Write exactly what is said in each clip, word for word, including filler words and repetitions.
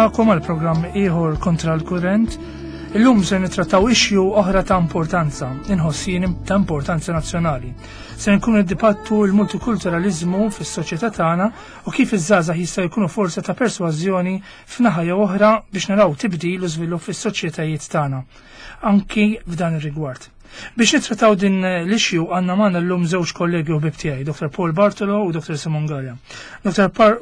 Nilqagħkom għal programm ieħor Kontra l-Kurrent. Illum se nittrattaw issue oħra ta' importanza, inħoss jien ta' importanza nazzjonali. Se nkunu niddibattu l-multikulturalizmu fis-soċjetà tagħna u kif iż-żgħażagħ jistgħu jkunu forza ta' persważjoni f'naħa jew oħra biex naraw tibdil u żvilupp fis-soċjetajiet tagħna. Anki f'dan ir-rigward. Biex nittrattaw din l-issue għandna magħna llum żewġ kollegi u ħbieb tiegħi, Dottor Paul Bartolo u Dottor Simon Galea. Dottor Par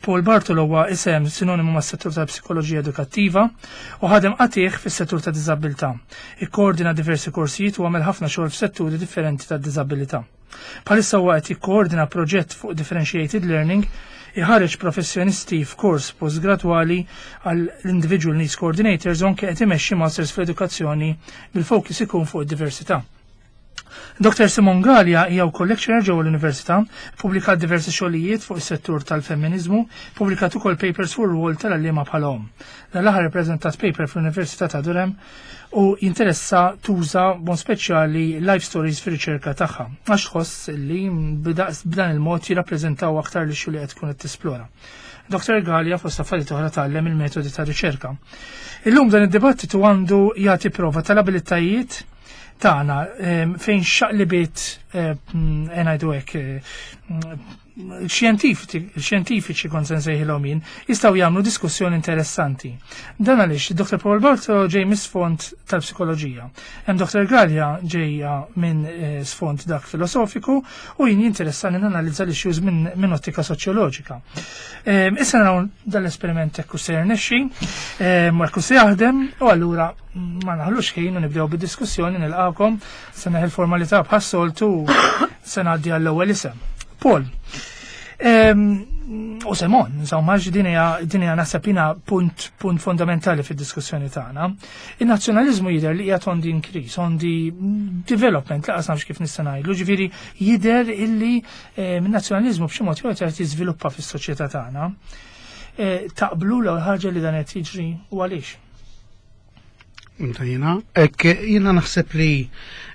Paul Bartolo huwa isem sinonimu mas-settur tal-psikoloġija edukattiva u ħadem qatigħ fis-settur ta' diżabilità. Ikkoordina diversi korsijiet u għamel ħafna xogħol f'setturi differenti ta' diżabilità. Bħalissa huwa qed jikkoordina proġett fuq differentiated learning, iħareġ professjonisti f'kors postgradwali għall individual needs coordinators u anke qed imexxi masters fl-edukazzjoni bil-fokus ikun fuq id-diversità. Dottor Simon Galea hija wkoll lecturer ġewwa l-Università, pubblikat diversi xogħlijiet fuq is-settur tal-femminizmu, pubblikat ukoll papers fuq ir-rwol tal-għalliema bħala omm. Dan l-aħħar ippreżentat paper fl-Università ta' Durham u jinteressa tuża b'mod speċjali life stories fir-riċerka tagħha, għax tħoss li b'dan il-mod jirrappreżentaw aktar li li qed tkun qed tisplora. Dottor Galea fost affarijiet oħra tgħallem il-metodi ta' riċerka. Illum dan id-dibattitu għandu jagħti prova tal-abilitajiet tagħna fejn xaqlibiet, ngħidu hekk, xjentifiċi kont se nsejħilhom jien, jistgħu jagħmlu diskussjoni interessanti. Dan għaliex Dottor Paul Bartolo ġej mis-sfond tal-psikoloġija. Hemm Dottor Galea ġejja minn sfond dak filosofiku u jien jinteressani nanalizza l-issues minn min ottika soċjoloġika. Issa naraw dal-esperiment hekk se jirnexxi, u hekk se jaħdem, u allura ma naħlux ħin u nibdew bid-diskussjoni. Nilqakom, se neħi l-formalità bħas-soltu, se ngħaddi għall-ewwel isem. Paul. U Simon, insomma, din hija din hija naħseb jiena punt punt fondamentali fid-diskussjoni tagħna. In-nazzjonaliżmu jidher li qiegħed on the increase, on the development, lanqas nafx kif nista' ngħidlu, ġifieri jidher illi in-nazzjonaliżmu b'xi mod jew qed jiżviluppa fis-soċjetà tagħna. Taqblu l-ewwel ħaġa li dan qed jiġri u għaliex? Inta jiena, hekk jiena naħseb li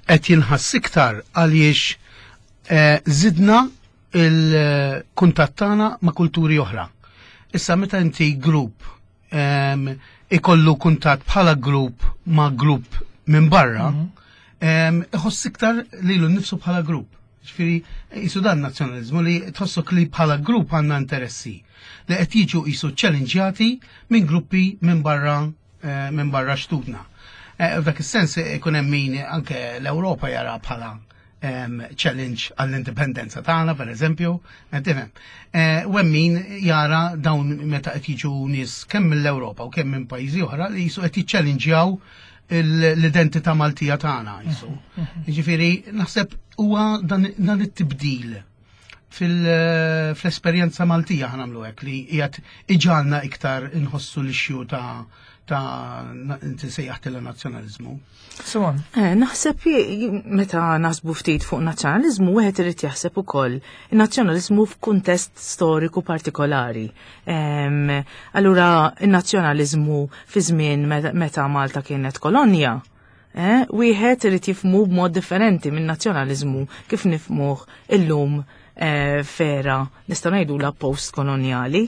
qed jinħass iktar għaliex żidna il-kuntatt tagħna ma' kulturi oħra. Issa meta inti grupp ikollu kuntatt bħala grupp ma' grupp minn barra, iħoss iktar lilu nnifsu bħala grupp. Ġifieri jisu dan nazzjonaliżmu li tħossok li bħala grupp għandna interessi li qed jiġu jisu ċċellenġjati minn gruppi minn barra minn barra xtutna. F'dak is-sens ikun hemm min anke l-Ewropa jara bħala challenge għall-indipendenza tagħna, per eżempju, tifhem. U hemm min jara dawn meta qed jiġu nies kemm mill-Ewropa u kemm minn pajjiżi oħra li jisu qed jiċċellenġjaw l-identità Maltija tagħna jisu. Jiġifieri naħseb huwa dan it-tibdil fil-esperjenza Maltija ħa nagħmlu hekk li qiegħed iġalna iktar inħossu l-issue ta' ta' inti sejjaħtilha nazzjonaliżmu. Simon. Eh, naħseb meta naħsbu ftit fuq nazzjonaliżmu, wieħed irid jaħseb ukoll in-nazzjonaliżmu f'kuntest storiku partikolari. Allura in-nazzjonaliżmu fi żmien meta Malta kienet kolonja, eh, wieħed irid jifhmu b'mod differenti minn nazzjonaliżmu kif nifhmuh illum eh, f'era nistgħu ngħidula post-kolonjali.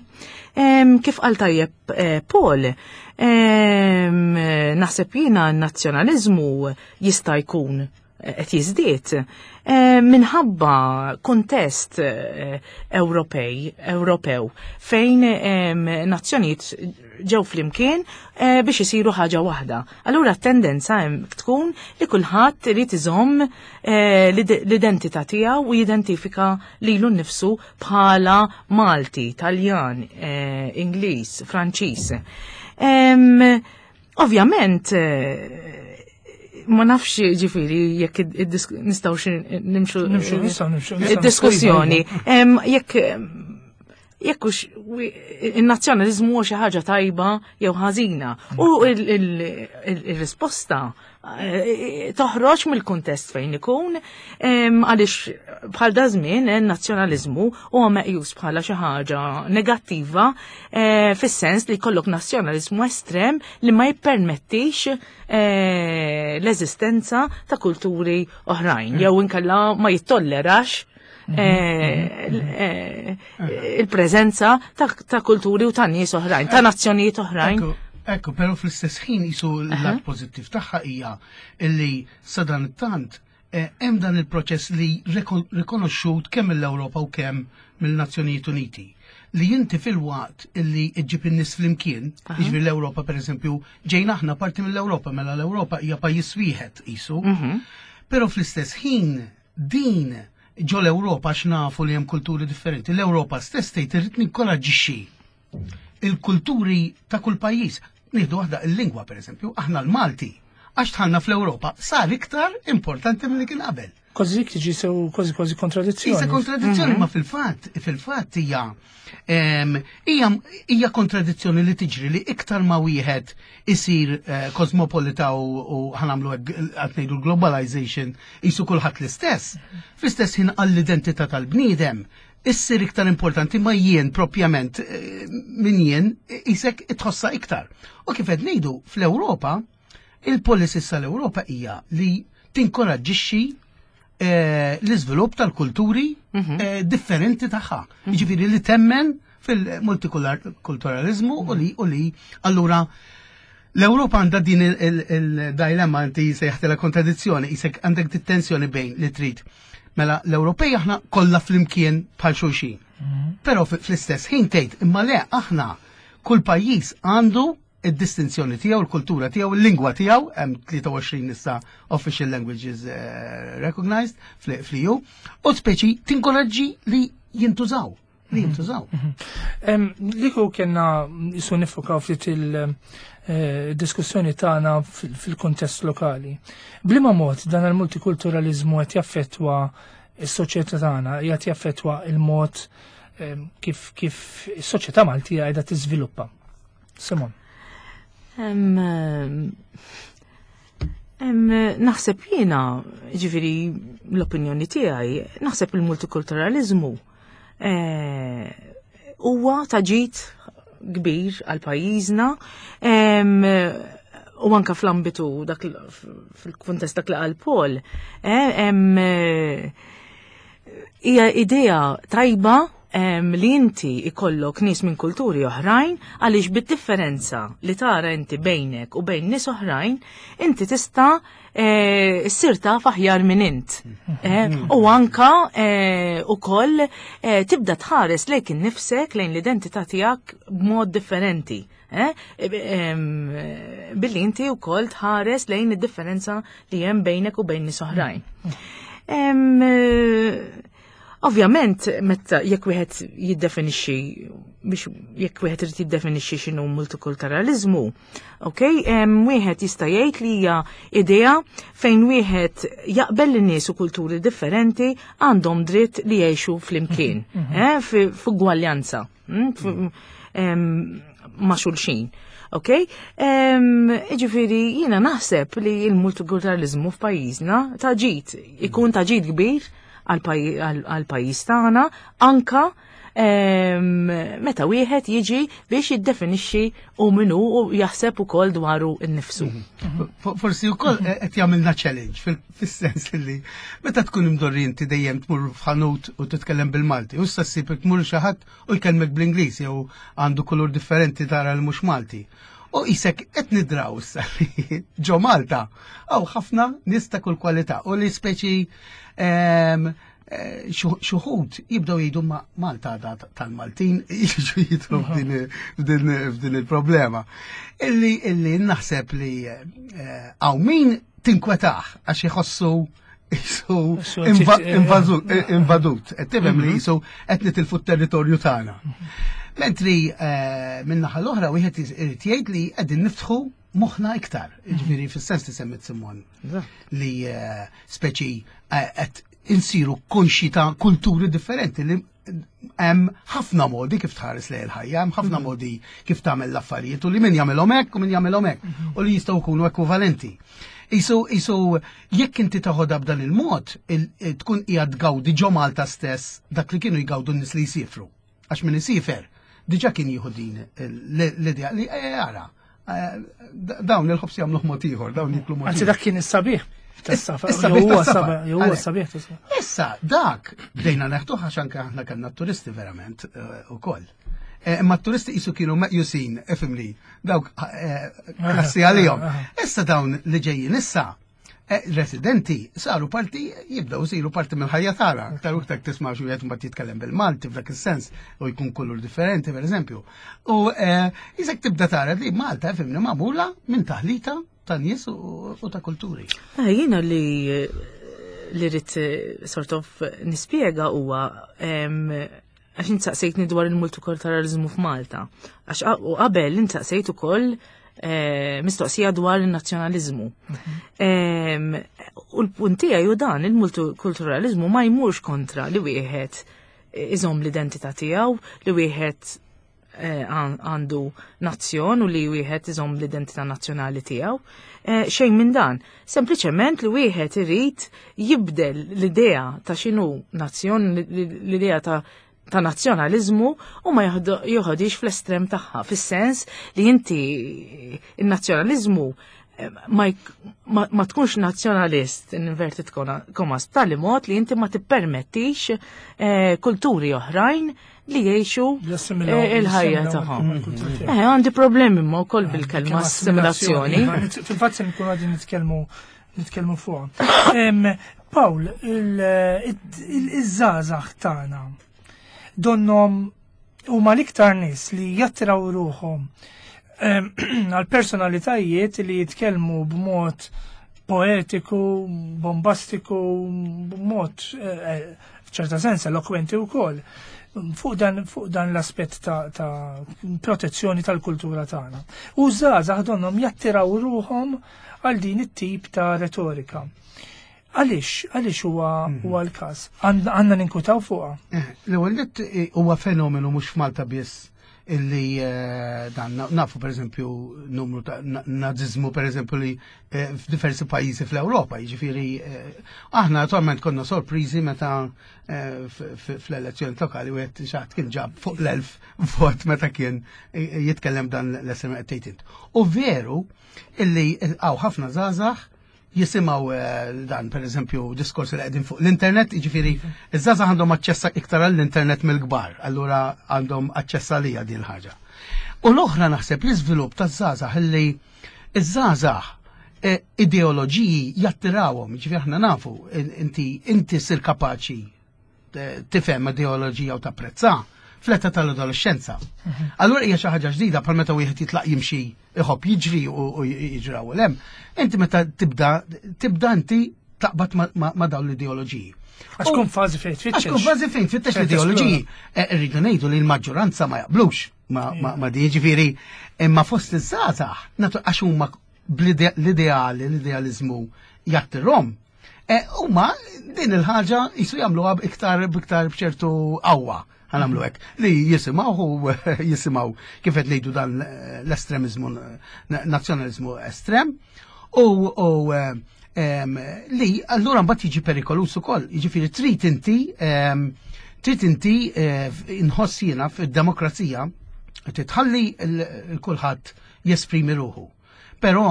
Kif qal tajjeb Paul, naħseb jiena n-nazzjonaliżmu jista' jkun qed jiżdied minħabba kuntest Ewropej, Ewropew fejn nazzjonijiet ġew flimkien biex isiru ħaġa waħda. Allura t-tendenza hemm tkun li kulħadd irid iżomm l-identità tiegħu u jidentifika lilu nnifsu bħala Malti, Taljan, Ingliż, Franċiż. Ovvjament, ma nafx ġifieri jekk nistgħu nimxu Nimxu, nistgħu nimxu, id-diskussjoni. Jekk jekk hux in-nazzjonaliżmu huwa xi ħaġa tajba jew ħażina. U il-risposta toħroġ mill-kuntest fejn ikun, għaliex bħal da żmien in-nazzjonaliżmu huwa meqjus bħala xi ħaġa negattiva, fis-sens li jkollok nazzjonaliżmu estrem li ma jippermettix l-eżistenza ta' kulturi oħrajn, jew inkella ma jittollerax eh, eh, il-preżenza ta' kulturi u ta' nies oħrajn, ta' nazzjonijiet oħrajn. Ekku, però fl-istess ħin jisu l-lat pożittiv tagħha hija illi sadan tant eh, hemm dan il-proċess li rikonoxxut kemm mill-Ewropa u kemm mill-Nazzjonijiet Uniti li inti fil-waqt illi iġġib in-nies flimkien, jiġifieri l-Ewropa pereżempju, ġejna aħna parti mill-Ewropa, mela l-Ewropa hija pajjiż wieħed qisu. Mhm. Però fl-istess ħin din ġo l-Ewropa x'nafu li hemm kulturi differenti. L-Ewropa stess tgħid irrid ninkoraġġixxi il-kulturi ta' kull pajjiż. Nieħdu waħda il-lingwa pereżempju, aħna l-Malti għax dħalna fl-Ewropa sar iktar importanti milli kien qabel. Kważi dik tiġi sew kważi kważi kontradizzjoni. Isa kontradizzjoni, ma fil-fatt, fil-fatt hija hija hija kontradizzjoni li tiġri li iktar ma wieħed isir eh, kosmopolita u ħa nagħmlu qed ngħidu globalization jisu kulħadd l-istess. Fl-istess ħin għall-identità tal-bniedem issir iktar importanti ma jien propjament eh, min jien isek itħossa iktar. U kif qed ngħidu fl-Ewropa, il-policies tal-Ewropa hija li tinkoraġġixxi eh, l-iżvilupp tal-kulturi mhm. eh, differenti tagħha. Mhm. Jiġifieri li temmen fil-multikulturalizmu u li u li allura l-Ewropa għandha din il-dilemma inti sejħtela kontradizzjoni, isek għandek tensjoni bejn li trid. Mela l-Ewropej aħna kollha flimkien bħal xulxin. Mhm. Però fl-istess ħin tgħid imma le aħna kull pajjiż għandu id-distinzjoni tiegħu, il-kultura tiegħu, il-lingwa tiegħu, hemm tlieta u għoxrin issa official languages uh, recognized fl-E U, u speċi tinkoraġġi li jintużaw li jintużaw. Mhm. Liku kena jisu nifokaw ftit il-diskussjoni tagħna fil-kontest lokali. B'liema mod dan il-multikulturalizmu qed jaffettwa s-soċjetà tagħna, qed jaffettwa il-mod kif kif is-soċjetà Maltija qiegħda tiżviluppa? Simon. Em, naħseb jiena, ġifieri l-opinjoni tiegħi, naħseb il-multikulturalizmu eh, huwa ta' ġid kbir għal pajjiżna u anka fl-ambitu dak fil-kuntest dak li qal Paul, eh, hija idea tajba li inti ikollok nies minn kulturi oħrajn għaliex bid-differenza li tara inti bejnek u bejn nies oħrajn, inti tista' eh, ssir taf aħjar minn int. Eh, u anka eh, ukoll tibda tħares lejk innifsek, lejn l-identità tiegħek b'mod differenti. Billi inti wkoll tħares lejn id-differenza li hemm bejnek u bejn nies oħrajn. Ovvjament, meta jekk wieħed jiddefinixxi biex jekk wieħed irid jiddefinixxi x'inhu multikulturalizmu, ok, wieħed jista' jgħid li hija idea fejn wieħed jaqbel li nies u kulturi differenti għandhom dritt li jgħixu flimkien, mhm, mhm. eh, f'ugwaljanza mm, ma' xulxin. Ok? Ġifieri, jiena naħseb li l-multikulturalizmu f'pajjiżna ta' ġid, ikun ta' ġid kbir għal-pajjiż tagħna anka meta wieħed jiġi biex jiddefinixxi u minnu u jaħseb ukoll dwaru nnifsu. Mhm. Forsi wkoll qed jagħmilna challenge fis-sens li meta tkun imdorri inti dejjem tmur f'ħanut u titkellem bil-Malti, u issa ssib tmur xi ħadd u jkellmek bl-Ingliż jew għandu kulur differenti tara li mhux Malti. U isek qed nidraw issa li ġo Malta hawn ħafna nies ta' kull kwalità u li speċi eh, xuħud jibdew jgħidu ma Malta da tal-Maltin jiġu jidħlu f'din f'din il-problema. Illi illi naħseb li eh, hawn min tinkwetaħ għax jħossu jisu invadut. Qed tifhem li jisu qed nitilfu t-territorju tagħna. Mentri eh, minn naħa l-oħra wieħed irid jgħid li qegħdin niftħu moħħna iktar, ġifieri fis-sens li semmit Simon li eh, speċi eh, qed insiru konxi ta' kulturi differenti li hemm ħafna modi kif tħares lejn il-ħajja, hemm ħafna modi kif tagħmel l-affarijiet u li min jagħmelhom hekk u min jagħmelhom hekk u li jistgħu jkunu ekwivalenti. Isu, isu, jekk inti taħodha b'dan il-mod, il- tkun qiegħed tgawdi ġo Malta stess dak li kienu jgawdu n-nies li jsifru. Għax min isiefer, diġà kien jieħu din l-idea li eh, ara, eh, dawn il-ħobs jagħmluh mod ieħor, dawn jiklu mod Anzi dak kien is-sabiħ. Tas-safar. Huwa sabiħ tas-safar. Issa dak bdejna neħduh għax anke aħna kellna turisti verament eh, ukoll. Eh, imma t-turisti qisu kienu meqjusin, ifhimni, dawk eh, klassi għalihom. Issa dawn li ġejjin issa residenti saru parti, jibdew isiru parti mill-ħajja tagħna. Aktar u iktar tisma' xi wieħed mbagħad jitkellem bil-Malti f'dak is-sens u jkun kulur differenti pereżempju. U isek tibda tara li Malta, ifhimni, magħmula minn taħlita ta' nies u ta' kulturi. Jiena li li rrid sort of nispjega huwa għax insaqsejtni dwar il-multikulturalizmu f'Malta. Għax u qabel insaqsejt ukoll eh, mistoqsija dwar il-nazzjonalizmu. Mhm. U l-punt tiegħi hu dan, il-multikulturalizmu ma jmurx kontra li wieħed iżomm l-identità tiegħu, li wieħed eh, għandu nazzjon u li wieħed iżomm l-identità nazzjonali tiegħu. Eh, xejn minn dan. Sempliċement li wieħed irid jibdel l-idea ta' x'inhu nazzjon, l-idea ta' ta' nazzjonalizmu u ma joħodix fl-estrem tagħha, fis-sens li inti il-nazzjonalizmu eh, ma, ma, ma tkunx nazzjonalist in inverted commas b'tali mod li inti ma tippermettix eh, kulturi oħrajn li jgħixu eh, il-ħajja tagħhom. Eh, għandi problemi ma wkoll bil-kelma assimilazzjoni. Fil-fatt se nkunu għadin nitkellmu nitkellmu fuq. Paul, iż-żgħażagħ tagħna donnom huma l-iktar nies li jattraw ruħhom għal personalitajiet li jitkellmu b'mod poetiku, bombastiku, b'mod eh, eh, f'ċerta sens elokwenti wkoll fuq dan, fuq dan l-aspett ta', ta protezzjoni tal-kultura tagħna. U żgħażagħ donhom jattiraw ruħhom għal din it-tip ta' retorika. Għaliex, għaliex huwa mhm. huwa l-każ? Għandna ninkwetaw fuqha. Eh, l-ewwel eh, huwa fenomenu mhux f'Malta biss illi eh, dan nafu pereżempju numru ta' nazizmu pereżempju li f'diversi pajjiżi fl-Ewropa, jiġifieri aħna naturalment konna sorpriżi meta fl-elezzjoni lokali wieħed xi ħadd kien ġab fuq l-elf vot meta kien jitkellem dan l-S M int. U veru illi hawn ħafna żgħażagħ jisimgħu eh, dan per eżempju diskorsi li qegħdin fuq l-internet, jiġifieri iż-żgħażagħ għandhom aċċess iktar għall-internet mill-kbar, allura għandhom aċċess għalija din ħaġa. U l-oħra naħseb l-iżvilupp taż-żgħażagħ illi iż-żgħażagħ eh, ideoloġiji jattirawhom, jiġifieri aħna nafu inti inti sir kapaċi eh, tifhem ideoloġija u tapprezza fl-età tal-adolescenza. Mhm. Allura hija xi ħaġa ġdida bħal meta wieħed jitlaq jimxi iħobb jiġri u jiġraw l hemm. Inti meta tibda tibda inti taqbad ma' dawn l-ideoloġiji. Għax tkun fażi fejn tfittex. Għax tkun fażi fejn tfittex l-ideoloġiji. Eh, irridu ngħidu li l-maġġoranza ma jaqblux ma di ġifieri imma fost iż-żgħażagħ għax huma bl-ideali, l-idealizmu jattirhom. Eh, huma din il-ħaġa jisu jagħmluha iktar biktar b'ċertu qawwa ħa nagħmlu hekk, li jisimgħu u jisimgħu kif qed ngħidu dan l-estremizmu, nazzjonalizmu estrem, u li allura mbagħad jiġi perikolus ukoll, jiġifieri trid inti trid inti eh, inħoss jiena fid-demokrazija titħalli l-kulħadd jesprimi ruħu. Però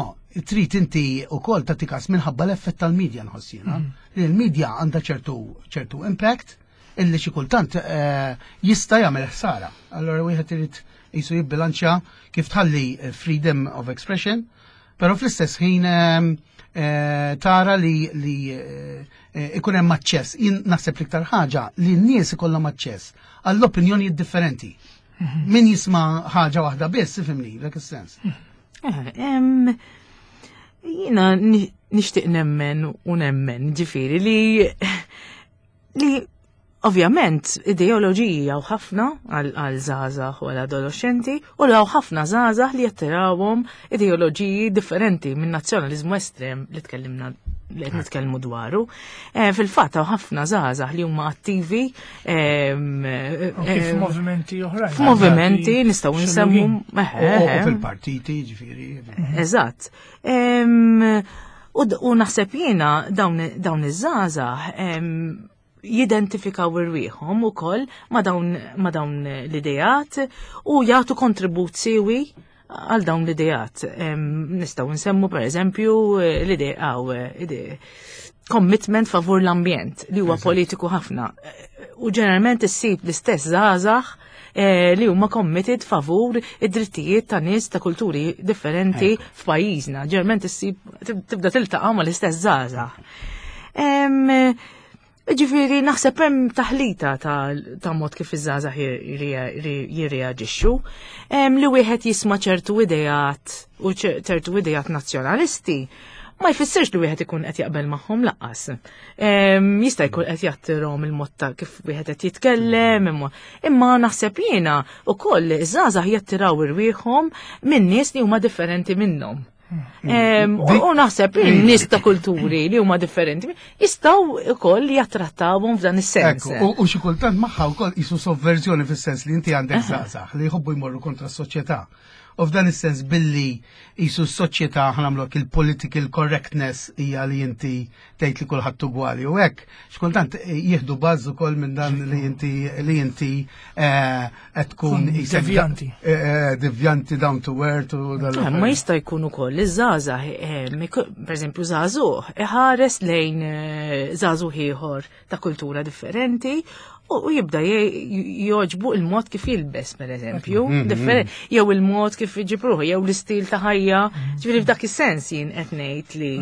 trid inti ukoll tagħti kas minħabba l-effett tal-medja nħoss jiena, mm. li l-medja għandha ċertu ċertu impact illi xi kultant eh, jista' jagħmel ħsara. Allora wieħed irid jisu jibbilanċja kif tħalli eh, freedom of expression, però fl-istess ħin eh, tara li li ikun hemm aċċess. Jien naħseb l-iktar ħaġa li n-nies ikollhom aċċess għall-opinjonijiet differenti. Mhm. Min jisma' ħaġa waħda biss, ifhimni, dak is-sens. Jiena nixtieq nemmen u nemmen, ġifieri li li ovvjament ideoloġiji hawn ħafna għal żgħażagħ u għal adolescenti u hawn ħafna żgħażagħ li jattirawhom ideoloġiji differenti minn nazzjonaliżmu estrem li tkellimna li qed nitkellmu dwaru. Eh, fil-fatt hawn ħafna żgħażagħ li huma attivi f'movimenti oħrajn. F'movimenti nistgħu nsemmu fil-partiti, ġifieri. Eżatt. U naħseb jiena dawn iż-żgħażagħ jidentifikaw irwieħhom ukoll ma dawn ma dawn l-ideat u jagħtu kontribut siwi għal dawn l-idejat. Nistgħu nsemmu pereżempju l-idea commitment favur l-ambjent li huwa politiku ħafna. U ġeneralment issib l-istess żgħażagħ li huma committed favur id-drittijiet ta' nies ta' kulturi differenti f'pajjiżna. Ġeneralment issib tibda tiltaqa' mal-istess żgħażagħ. Ġifieri naħseb hemm taħlita ta' mod kif iż-żgħażagħ jirreaġixxu, li wieħed jisma' ċertu ideat u ċertu ideat nazzjonalisti ma jfissirx li wieħed ikun qed jaqbel magħhom lanqas. Jista' jkun qed jattirhom il-mod ta' kif wieħed qed jitkellem, imma naħseb jiena wkoll iż-żgħażagħ jattiraw irwieħhom minn nies li huma differenti minnhom. U naħseb in-nies ta' kulturi li huma differenti jistgħu wkoll jattrattawhom f'dan is-sens. U xi kultant magħha wkoll qisu sovverżjoni fis-sens li inti għandek żgħażagħ li jħobbu jmorru kontra s-soċjetà. U f'dan is-sens billi qisu s-soċjetà ħanamlok il-political correctness hija li inti tgħid li kulħadd ugwali u hekk, x'kultant jieħdu baż ukoll minn dan li inti li inti qed tkun devjanti. Devjanti down to earth u dal. Ma jista' jkun ukoll iż-żgħażagħ, pereżempju żagħżugħ iħares lejn żagħżugħ ieħor ta' kultura differenti u jibda joġbu il-mod kif jilbes, per eżempju, jew il-mod kif iġibruħ, jew l-istil ta' ħajja, ġifieri f'dak is-sens jien qed ngħid li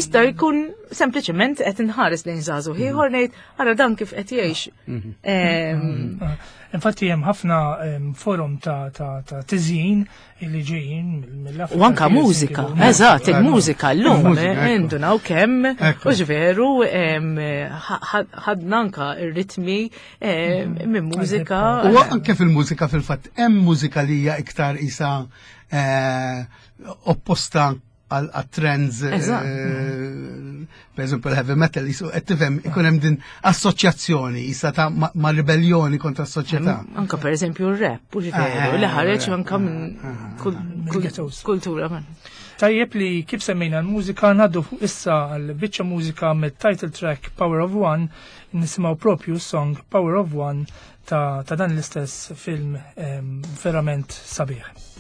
jista' jkun sempliċement qed inħares lejn żagħżugħ ieħor ngħid ara dan kif qed jgħix. Infatti hemm ħafna forum ta' tiżjin li ġejjin mill-Afrika. U anka mużika, eżatt, il-mużika llum indunaw kemm u ġveru ħadna anka ir-ritmi minn mużika. U anke fil-mużika fil-fatt hemm mużika li hija iktar isa opposta għal trends, per eżempju l-heavy metal, qed tifhem ikun hemm din assoċjazzjoni isa ta' ma' ribellioni kontra s-soċjetà. Anka per eżempju r-rap, u ġifieri, li ħareġ anka minn kultura. Tajjeb li kif semmejna l-mużika ngħaddu fuq issa għal biċċa mużika mit-title track Power of One, nisimgħu propju song Power of One ta' dan l-istess film verament sabiħ.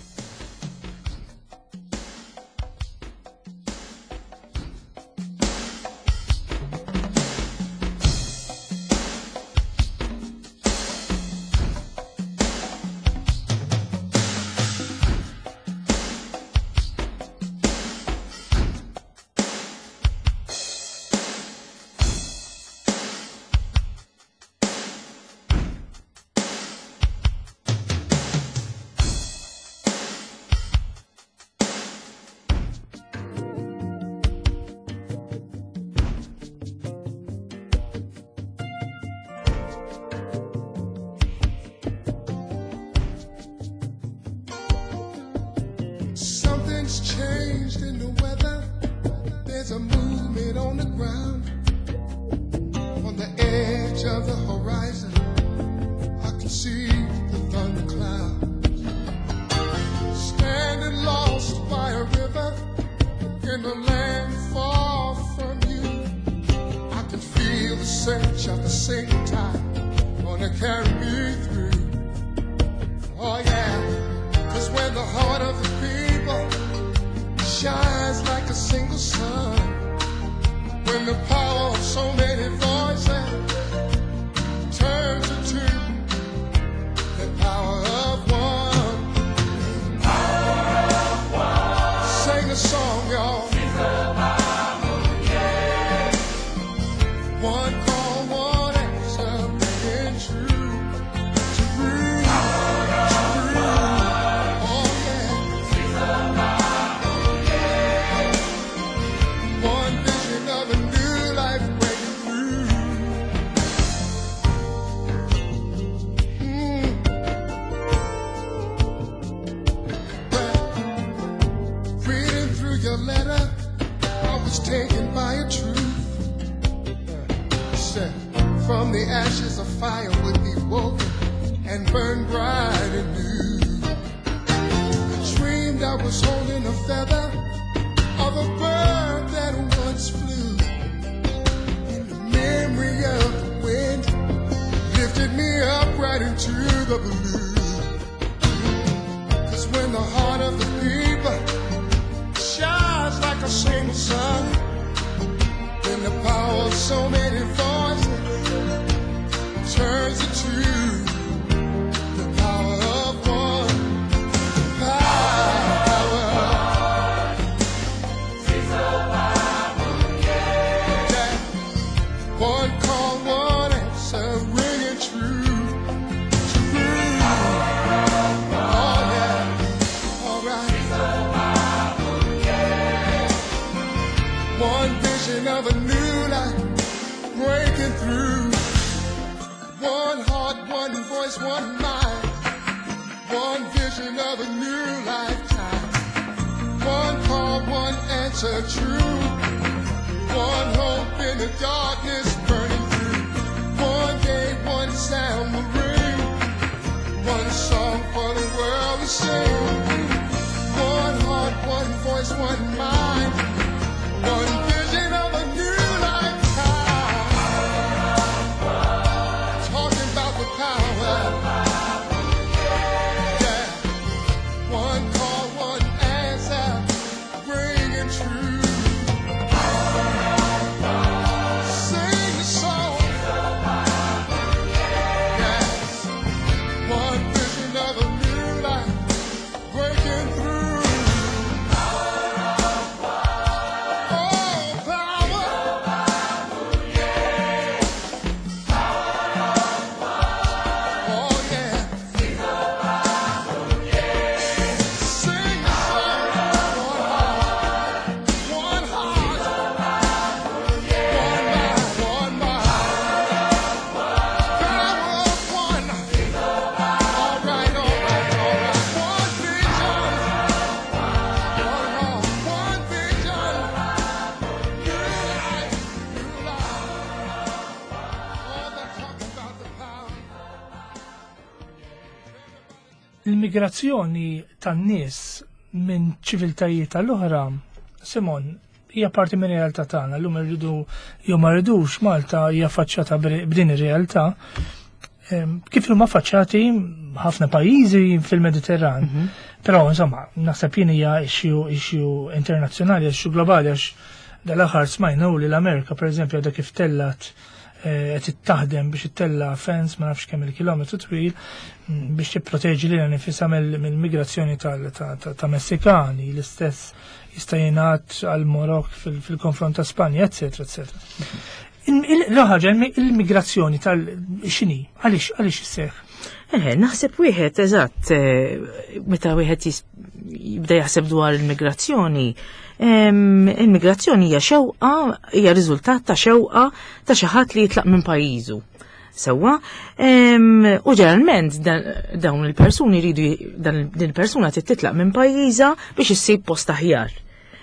When the heart of the people shines like a single sun, then the power of so many voices turns into the power of one. Power. Yeah. One call, one answer, ringing true. True. Oh yeah. All right. One vision of a new life breaking through. One heart, one voice, one mind. One vision of a new lifetime. One call, one answer, true. One hope in the darkness burning through. One day, one sound will ring. One song for the world to sing. One heart, one voice, one mind. One vision of a new lifetime. Talking about the power. Yeah. One call, one answer, bringing truth. Sing the song. Yes. One vision of a new life breaking through. Oh, power. Oh, yeah. Sing the song. One heart, one heart, one mind, one mind. Power of one. All right, all right, all right. One vision. One heart, one vision. New life, new life. Oh, they're talking about the power. Il-migrazzjoni tan-nies minn ċiviltajiet tal-oħra, Simon, hija parti minn realtà tagħna. Llum irridu jew ma rridux, Malta hija faċċata b'din ir-realtà. Em, Kif huma faċċati ħafna pajjiżi fil-Mediterran. Però insomma, naħseb jien hija issue issue internazzjonali, issue globali, għax dal-aħħar smajna li l-Amerika pereżempju għadha kif tellat, eh, qed taħdem biex ittella fence ma nafx kemm il-kilometru twil mm, biex tipproteġi lilha nifisha mill- mill-migrazzjoni tal- ta' ta' ta' Messikani, l-istess jista' jingħad għal Marokk fil- fil-konfront ta' Spanja, eccetera, eccetera. L-ħaġa, il-migrazzjoni tal-xini, għaliex għaliex isseħ? Eh, naħseb wieħed eżatt, eh, meta wieħed jis- jibda jaħseb dwar il-migrazzjoni, em, il-migrazzjoni hija xewqa, hija riżultat ta' xewqa ta' xi ħadd li jitlaq minn pajjiżu. Sewwa, em, u ġeneralment dan- dawn il-persuni jridu dan din il-persuna trid titlaq minn pajjiżha biex issib post aħjar.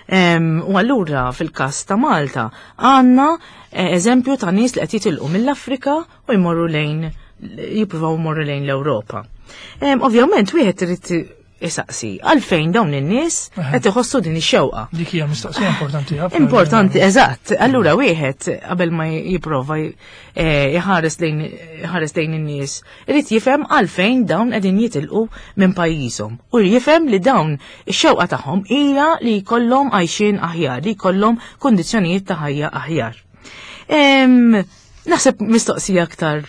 Em, U allura fil-każ ta' Malta għandna eh, eżempju ta' nies li qed jitilqu mill-Afrika u jmorru lejn jippruvaw jmorru lejn l-Ewropa. Em, Ovvjament wieħed irid isaqsi għalfejn dawn in-nies qed iħossu din ix-xewqa. Dik hija mistoqsija importanti ħafna. Importanti, eżatt. Allura wieħed qabel ma jipprova eh, jħares lejn jħares lejn in-nies, irid jifhem għalfejn dawn qegħdin jitilqu minn pajjiżhom. U jifhem li dawn ix-xewqa tagħhom hija li jkollhom għajxin aħjar, li jkollhom kundizzjonijiet ta' ħajja aħjar. Em, Naħseb mistoqsija aktar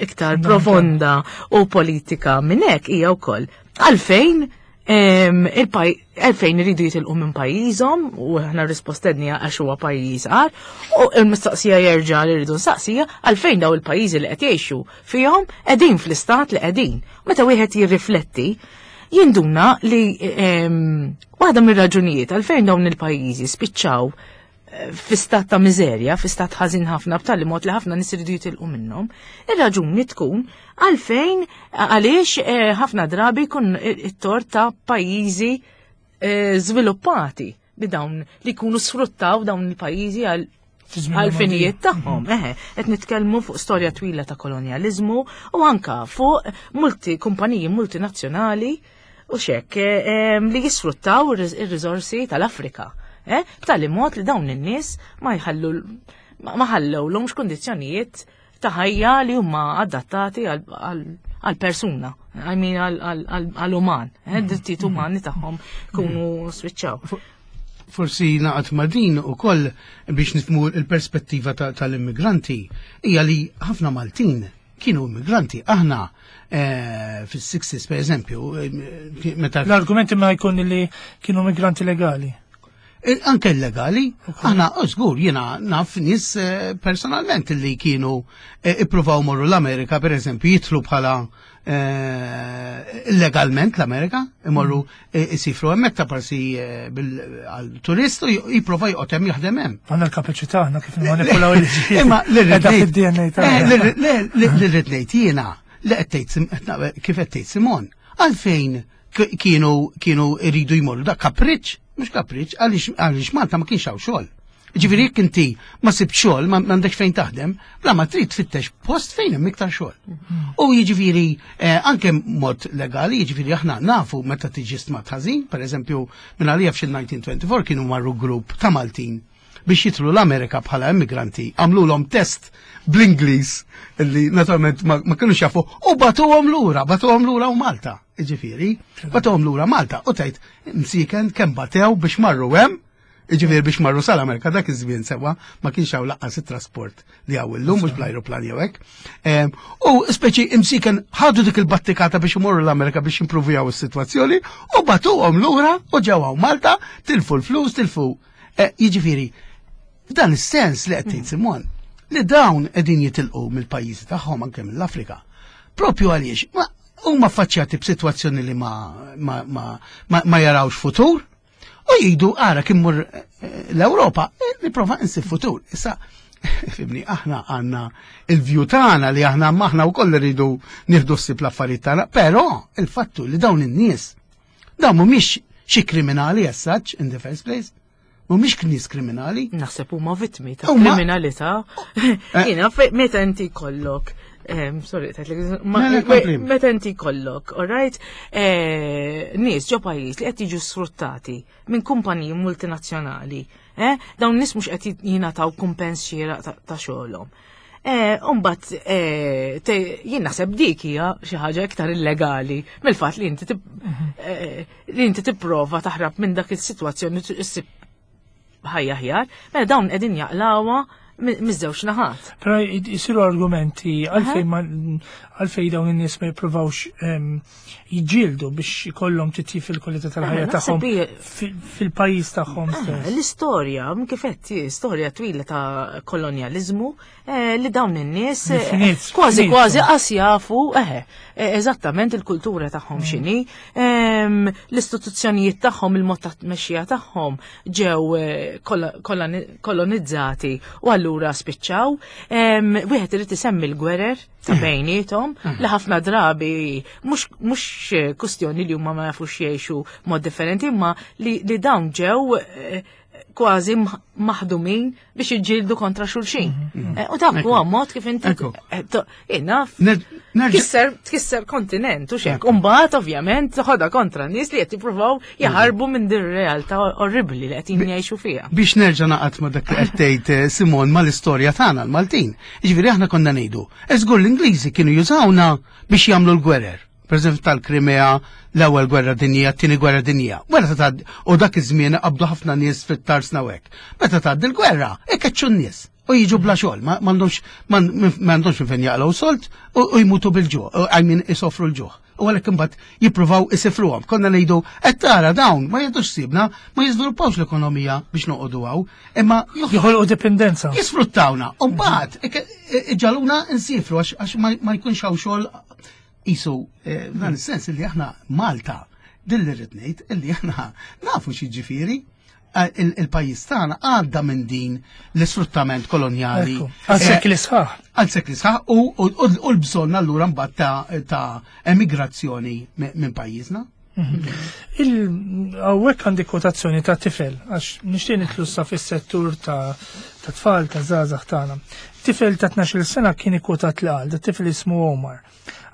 iktar profonda u politika minn hekk hija wkoll għalfejn em, il-paj- għalfejn iridu jitilqu minn pajjiżhom, u aħna rispostedni għax huwa pajjiż għar, u l-mistoqsija jerġa' li rridu nsaqsija għalfejn daw il-pajjiżi li qed jgħixu fihom qegħdin fl-istat li qegħdin. Meta wieħed jirrifletti, jinduna li em, waħda mir-raġunijiet għalfejn dawn il-pajjiżi spiċċaw eh, fi stat ta' miżerja, fi stat ħażin ħafna, b'tali mod li ħafna nies iridu jitilqu minnhom, ir-raġuni tkun għalfejn għaliex eh, ħafna drabi jkun it-tort ta' pajjiżi eh, żviluppati bi dawn li jkunu sfruttaw dawn il-pajjiżi għal Fi żmien għal-finijiet tagħhom. Eħe, qed nitkellmu fuq storja twila ta' kolonjaliżmu u anka fuq multi kumpaniji multinazzjonali u xek eh, em, li jisfruttaw ir- ir-riżorsi tal-Afrika. Eh? B'tali mod li dawn in-nies ma jħallu ma ma ħallewlhomx kundizzjonijiet ta' ħajja li huma adattati għal għal persuna, I mean għal uman, eh, drittijiet umani tagħhom kunu spiċċaw. Forsi naqat ma' din u koll biex nifhmu il-perspettiva tal-immigranti hija li ħafna Maltin kienu immigranti. Aħna eh, fis-sixties, per eżempju, eh, meta L-argumenti ma jkun li kienu immigranti legali. Eh, anke illegali, aħna, oh, żgur, jiena naf nies personalment li kienu ippruvaw morru l-Amerika, per eżempju, jidħlu bħala illegalment l-Amerika, imorru jisifru hemmhekk ta' parsi għal-turist u jipprova joqgħod hemm, jaħdem hemm. Għandna l-kapaċità aħna kif nimmanipulaw il-liġijiet. Imma l-irrid ngħid jiena li qed tgħid, kif qed tgħid Simon, għalfejn kienu kienu iridu jmorru? Da kapriċ, mhux kapriċ, għaliex Malta ma kienx hawn xogħol. Ġifieri jekk inti ma sibt xogħol, ma m'għandekx fejn taħdem, bla ma trid tfittex post fejn hemm iktar xogħol. U jiġifieri eh, anke mod legali, jiġifieri aħna nafu meta tiġi stmat ħażin, pereżempju minn għalija f'xi elf disa' mija u erbgħa u għoxrin kienu marru grupp ta' Maltin biex jidħlu l-Amerika bħala immigranti, għamlulhom test bl-Ingliż li naturalment ma, ma kienux jafu u bagħtuhom lura, bagħtuhom lura u Malta. Ġifieri, bagħtuhom lura Malta u tgħid msiken kemm batew biex marru hemm. Ġifieri biex marru sal-Amerika dak iż-żmien, sewwa, ma kienx hawn lanqas it-trasport li hawn illum, mhux bl-ajruplan jew hekk. Em, U speċi imsiken ħadu dik il-battikata biex imorru l-Amerika biex jimprovjaw is-sitwazzjoni u bagħtuhom lura u ġew hawn Malta, tilfu l-flus, tilfu. Eh, Jiġifieri, f'dan is-sens li qed tgħid Simon, li dawn qegħdin jitilqu mill-pajjiżi tagħhom, anke mill-Afrika. Propju għaliex ma huma affaċċjati b'sitwazzjoni li ma ma ma, ma, ma jarawx futur u jgħidu ara kif immur eh, l-Ewropa eh, nipprova insib futur. Issa fhimni, aħna għandna il-view tagħna li aħna maħna wkoll rridu nieħdu ssib l-affarijiet tagħna, però il-fattu li dawn in-nies dawn mhumiex xi kriminali as such in the first place. Mhumiex nies kriminali. Naħseb huma vittmi ta' Huma- kriminalità. Jiena fe- meta inti kollok em, sorry, tajtlek, ma- Le, le, kompli. meta inti kollok, all right, eh, nies ġo pajjiż li qed jiġu sfruttati minn kumpaniji multinazzjonali, eh, dawn nies mhux qed jingħataw kumpens xieraq ta' ta' xogħolhom. Eh, Umbat, eh, te- jien naħseb dik hija xi ħaġa iktar illegali mill-fatt li inti tib- eh, li inti tipprova taħrab minn dak is-sitwazzjoni issib ħajja aħjar, mela dawn qegħdin jaqlawha mi- miż-żewġ naħat. Però jisiru argumenti għalfejn ma għalfejn dawn in-nies ma jippruvawx em, jiġġieldu biex ikollhom titjib fil-kwalità tal-ħajja Eh, tagħhom naħseb hija- fil- fil-pajjiż tagħhom stess. L-istorja, kif qed, storja twila ta' kolonjalizmu, eh, li dawn in-nies eh, Finit, kważi finit. kważi qas jafu, eħe, eh, eżattament il-kultura tagħhom x'inhi, em, l-istituzzjonijiet tagħhom, il-mod ta' tmexxija tagħhom ġew eh, kolla- koloni- kolonizzati u allura spiċċaw. Em, Wieħed irid isemmi l-gwerer ta' bejniethom li ħafna drabi mhux mhux kustjoni li huma ma jafux jgħixu mod differenti, imma li, li dawn ġew eh, kważi mh- maħdumin biex jiġġieldu kontra xulxin. Eh, U dak huwa mod kif inti Ekku. eh, to- jien Ner- nerġa' tkisser tkisser kontinent u xek. Umbagħad ovvjament ħodha kontra nies li qed jippruvaw jaħarbu minn din ir-realtà orribli li qed jgħixu fiha. Biex nerġa' naqat ma dak li qed tgħid eh, Simon, mal-istorja tagħna l-Maltin. Jiġifieri aħna konna ngħidu, żgur l-Ingliżi kienu jużawna biex jagħmlu l-gwerer. Per eżempju tal-Krimea, l-ewwel gwerra dinjija, t-tieni gwerra dinjija. Wara ta' tgħaddi, u dak iż-żmien qabdu ħafna nies fit-tarsna u hekk. Meta tgħaddi l-gwerra, ikkeċċu n-nies u jiġu bla xogħol, ma m'għandhomx m'għandhomx minn fejn jaqlgħu solt u u jmutu bil-ġuħ, I mean isofru l-ġuħ. U għalhekk imbagħad jippruvaw isifruhom. Konna ngħidu qed tara dawn ma jgħidux sibna, ma jiżviluppawx l-ekonomija biex noqogħdu hawn, imma joħ- Joħolqu dipendenza. jisfruttawna. U mbagħad iġagħluna nsifru għax għax ma ma jkunx hawn xogħol isu eh, f'dan is-sens li aħna Malta din li rrid ngħid illi aħna nafu xi ġifieri eh, il- il-pajjiż tagħna għadda minn din l-isfruttament kolonjali. Ekku, għal Eh, sekli sħaħ. Għal sekli sħaħ u u- u l-bżonn allura mbagħad ta' ta' emigrazzjoni mi- minn pajjiżna. Hawnhekk għandi kwotazzjoni ta' tifel, għax nixtieq nidħlu sa fis-settur ta' ta' tfal, ta' żgħażagħ tagħna. Tifel ta' tnax-il sena kien ikkwotat li qal, da tifel ismu Omar.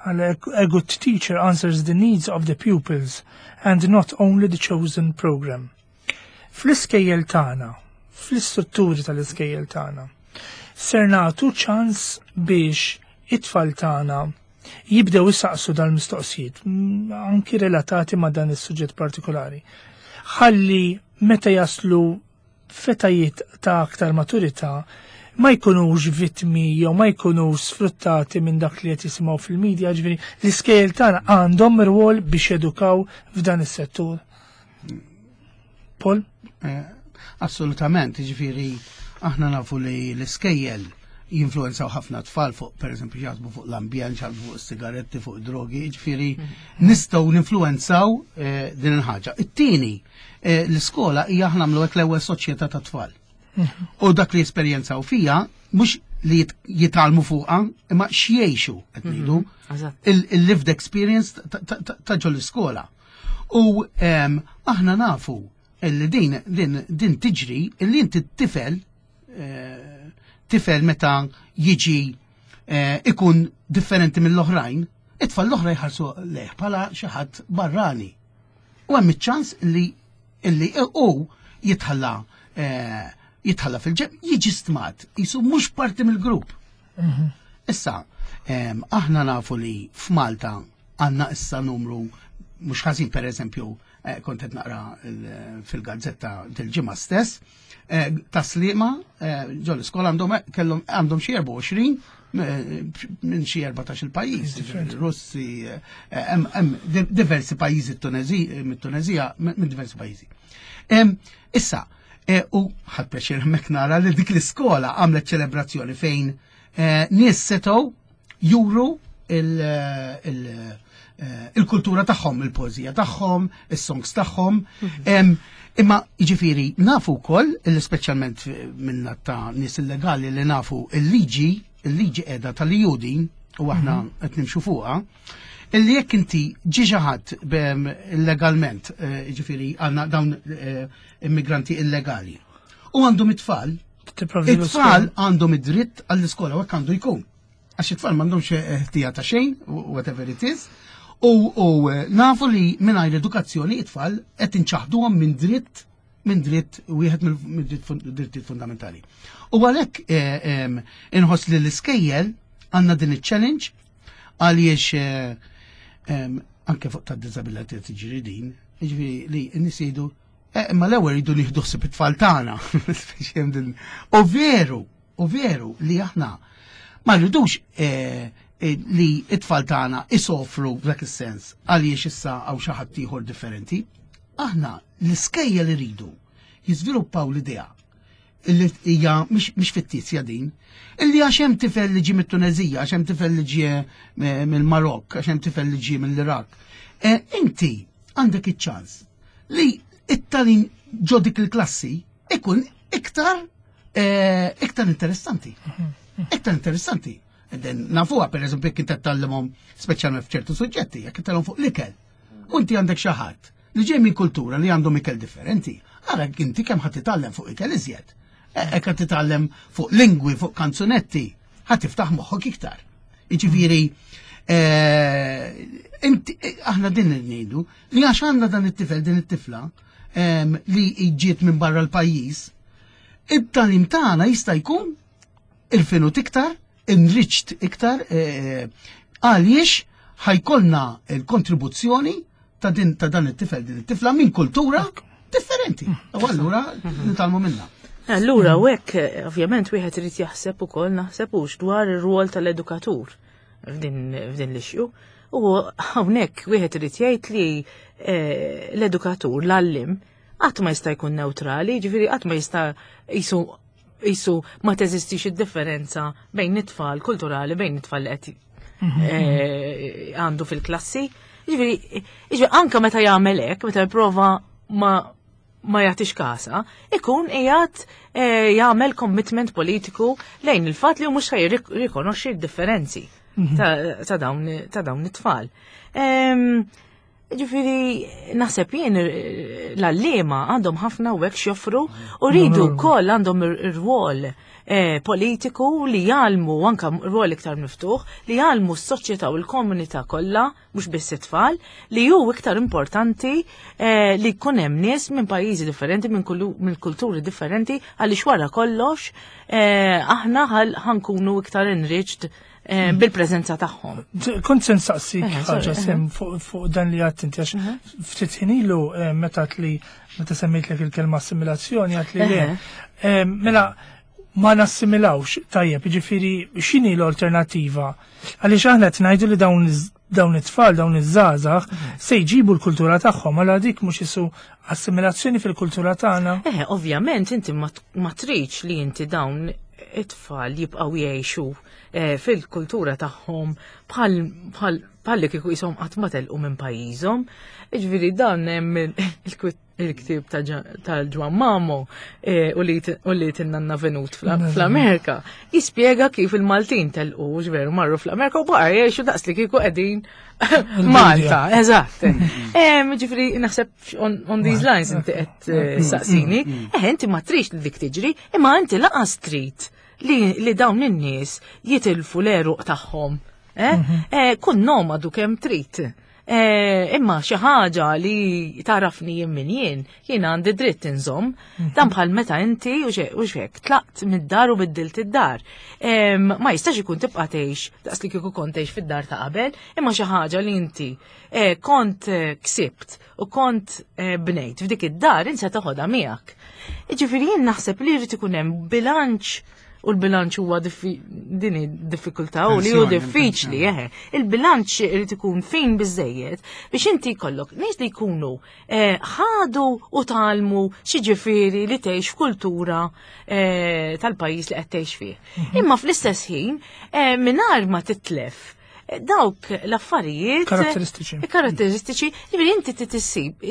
Għal "A good teacher answers the needs of the pupils and not only the chosen program." Fl-iskejjel tagħna, fl-istrutturi tal-iskejjel tagħna, ser nagħtu ċans biex it-tfal tagħna Jibdew isaqsu dal-mistoqsijiet, mm, anki relatati ma' dan is-suġġett partikolari. Ħalli meta jaslu f'etajiet ta' aktar maturità ma jkunux vittmi jew ma jkunux sfruttati minn dak li qed jisimgħu fil-medja, ġifieri l-iskejjel tagħna għandhom rwol biex jedukaw f'dan is-settur. Paul? Eh, assolutament, ġifieri aħna nafu li l-iskejjel jinfluenzaw ħafna tfal fuq, per eżempju, jaħsbu fuq l-ambjent, jaħsbu fuq sigaretti, fuq drogi, ġifieri nistgħu ninfluenzaw eh, din il-ħaġa. It-tieni, eh, l-iskola hija aħna nagħmlu hekk l-ewwel soċjetà ta' tfal. U dak li jesperjenzaw fija, mhux li jit- jitgħallmu fuqha, imma x'jgħixu qed ngħidu. Eżatt. Il-lived experience ta- ta- ta' ta' ġol iskola. U em, aħna nafu illi din, din, din tiġri illi inti t-tifel eh, tifel meta jiġi eh, ikun differenti mill-oħrajn, it-tfal l-oħra jħarsu lejh bħala xi ħadd barrani. U hemm iċ-ċans li illi hu jitħalla eh, jitħalla fil-ġenb, jiġi stmat, jisu mhux parti mill-grupp. Issa, em, aħna nafu li f'Malta għandna issa numru mhux ħażin, per eżempju, eh, kont qed naqra il- fil-gazzetta del-ġimgħa stess, eh, ta' Sliema eh, ġol iskola għandhom kellhom għandhom xi erbgħa u għoxrin eh, minn xi erbatax il pajjiż, Russi, eh, hemm hemm diversi pajjiżi, mit-Tunezija, minn diversi pajjiżi. Em, Issa, eh, u ħadt pjaċir hemmhekk nara li dik l-iskola għamlet ċelebrazzjoni fejn eh, nies setgħu juru il- il- eh, il-kultura tagħhom, il-poeżija tagħhom, is-songs tagħhom. Em, Imma jiġifieri nafu wkoll, illi speċjalment minna ta' nies illegali li nafu il-liġi, il-liġi qiegħda tal-E U din u aħna qed nimxu fuqha, illi jekk inti ġi xi ħadd illegalment, eh, jiġifieri għandna dawn eh, immigranti illegali, u għandhom it-tfal, Tipprovdi it-tfal għandhom id-dritt għall-iskola u hekk għandu jkun. Għax it-tfal m'għandhomx ħtija ta' xejn, whatever it is, u, u eh, nafu li mingħajr edukazzjoni it-tfal qed inċaħduhom minn dritt minn dritt wieħed mill drittijiet fundamentali. U għalhekk eh, em, inħoss li l-iskejjel għandna din il-challenge għaliex eh, em, anke fuq ta' disability tiġri din, jiġifieri li n-nies jgħidu eh, imma l-ewwel jridu nieħdu ħsieb it-tfal tagħna. Speċi hemm din- U veru, u veru li aħna ma rridux eh, eh, li it-tfal tagħna isofru f'dak is-sens għaliex issa hawn xi ħadd ieħor differenti. Aħna l-iskejjel iridu jiżviluppaw l-idea illi hija mhix mhix fittizja din, illi għax hemm tifel li ġie mit-Tunezija, għax hemm tifel li ġie eh, mill-Marokk, għax hemm tifel li ġie mill-Iraq. Eh, Inti għandek iċ-ċans li it-tagħlim ġo dik il-klassi ikun iktar eh, iktar interessanti. Iktar interessanti. Den nafuha, per eżempju, jekk inti tgħallimhom speċjalment f'ċertu suġġetti, jekk tgħallimhom fuq l-ikel. U inti għandek xi ħadd li ġej minn kultura li għandhom ikel differenti. Ara inti kemm ħadd titgħallem fuq ikel iżjed. Hekk qed titgħallem fuq lingwi, fuq kanzunetti, ħadd tiftaħ moħħok iktar. Jiġifieri eh, inti aħna din ngħidu li għax għandna dan it-tifel, din it-tifla em, li ġiet minn barra l-pajjiż, it-tagħlim tagħna jista' jkun il-finut iktar, enriched iktar, eh, għaliex ħa jkollna il-kontribuzzjoni ta' din ta' dan it-tifel, din it-tifla minn kultura differenti. U allura nitgħallmu minna. Allura, u hekk, eh, ovvjament, wieħed irid jaħseb ukoll, naħseb hux dwar ir-rwol tal-edukatur f'din f'din l-issue. U hawnhekk wieħed irid jgħid li eh, l-edukatur, l-għallim, qatt ma jista' jkun neutrali, ġifieri qatt ma jista' jisu jisu ma teżistix id-differenza bejn it-tfal kulturali, bejn it-tfal li qed eh, għandu fil-klassi. Ġifieri, ġifieri anka meta jagħmel hekk, meta jipprova ma ma jagħtix kasa, ikun qiegħed eh, jagħmel commitment politiku lejn il-fatt li hu mhux jirrikonoxxi d-differenzi ta' ta' dawn ta' dawn it-tfal. Em, Ġifieri, naħseb jien eh, l-għalliema għandhom ħafna u hekk x'joffru u rridu wkoll għandhom ir-rwol eh, politiku li jgħallmu, anka rwol iktar miftuħ, li jgħallmu s-soċjetà u l-komunità kollha, mhux biss it-tfal, li hu iktar importanti eh, li jkun hemm nies minn pajjiżi differenti, minn kullu- minn kulturi differenti, għaliex wara kollox eh, aħna ħal- ħankunu iktar enriched eh, bil-preżenza tagħhom. Kont se nsaqsik Eh, ħaġa sorry, sem fuq fuq dan li għedt inti, għax ftit ħin ilu eh, meta li meta semmejtlek il-kelma assimilazzjoni għedt li le. Eh, Mela ma nassimilawx tajjeb, jiġifieri x'inhi l-alternattiva? Għaliex aħna qed ngħidu li dawn iż- dawn it-tfal, dawn iż-żgħażagħ se jġibu l-kultura tagħhom, għala dik mhux isu assimilazzjoni fil-kultura tagħna. Eh, ovvjament inti ma ma tridx li inti dawn it-tfal jibqgħu jgħixu eh, fil-kultura tagħhom bħal bħal bħal li kieku jisom qatt ma telqu minn pajjiżhom. Jiġifieri dan hemm il- il-ktieb ta' Ġa- tal-Ġwan Mamo eh, u li u li tinnanna Venut fl- fl-Amerika jispjega kif il-Maltin telqu veru marru fl-Amerika u baqa' jgħixu daqs li kieku qegħdin Malta, eżatt. Em, Ġifieri naħseb on, on these lines inti qed eh, saqsini. Eh, inti ma tridx li dik tiġri, imma inti lanqas trid li, li dawn in-nies jitilfu l-għeruq tagħhom. Eh? Eh, kun nomadu kemm trid. Eh, imma xi ħaġa li tarafni jien min jien, jien għandi dritt inżomm, dan bħal meta inti u xe- u xek tlaqt mid-dar u biddilt id-dar. Em, Ma jistax ikun tibqa' tgħix daqs li kieku kont tgħix fid-dar ta' qabel, imma xi ħaġa li inti eh, kont eh, ksibt u kont eh, bnejt f'dik id-dar insa toħodha miegħek. Jiġifieri jien naħseb li jrid ikun hemm bilanċ u l-bilanċ huwa diffi- din hi diffikultà u li hu Tensjoni, diffiċli, eħe. Il-bilanċ irid ikun fin biżejjed biex inti jkollok nies li jkunu eh, ħadu u tgħallmu x'jiġifieri li tgħix f'kultura eh, tal-pajjiż li qed tgħix fih. Imma fl-istess ħin eh, mingħajr ma titlef eh, dawk l-affarijiet Karatteristiċi. karatteristiċi, ġifieri inti tissib,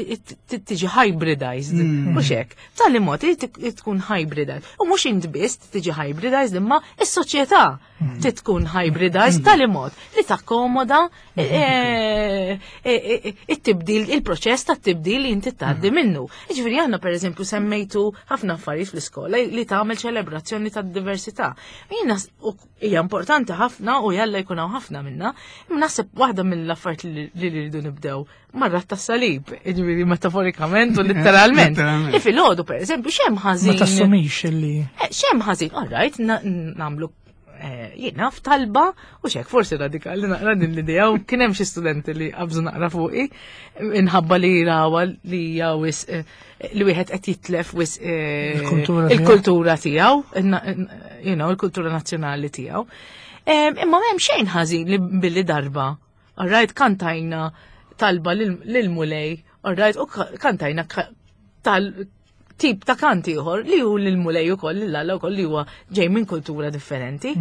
tiġi hybridized, mhux hekk. B'tali mod li tkun hybridized. U mhux int biss tiġi hybridized, imma is-soċjetà tkun hybridized tali mod li takkomoda eh, eh, eh, it-tibdil, il-proċess ta' tibdil li inti tgħaddi minnu. Ġifieri aħna pereżempju semmejtu ħafna affarijiet fl-iskola li tagħmel ċelebrazzjoni tad-diversità. Jiena u hija importanti ħafna u jalla jkun hawn ħafna minna, imma naħseb waħda mill-affarijiet li li rridu nibdew marra tas-salib, jiġifieri metaforikament u letteralment. Letteralment. Li filgħodu pereżempju x'hemm Ma ħażin. tassumix illi Eh, X'hemm ħażin, all right, na- nagħmlu eh, jiena f'talba u xek forsi radikali naqra din l-idea u kien hemm xi studenti li qabżu naqra fuqi inħabba li rawa li hija wisq eh, li wieħed qed jitlef wisq eh, Il-kultura tiegħu. il-kultura tiegħu, inna- you know, il-kultura nazzjonali tiegħu. Em, Imma m'hemm xejn ħażin li billi darba. All right, kantajna talba lil- lil-Mulej, all right, u ka- kantajna ka- tal tip ta' kant ieħor li hu lil-Mulej ukoll lil Alla wkoll li huwa ġej minn kultura differenti.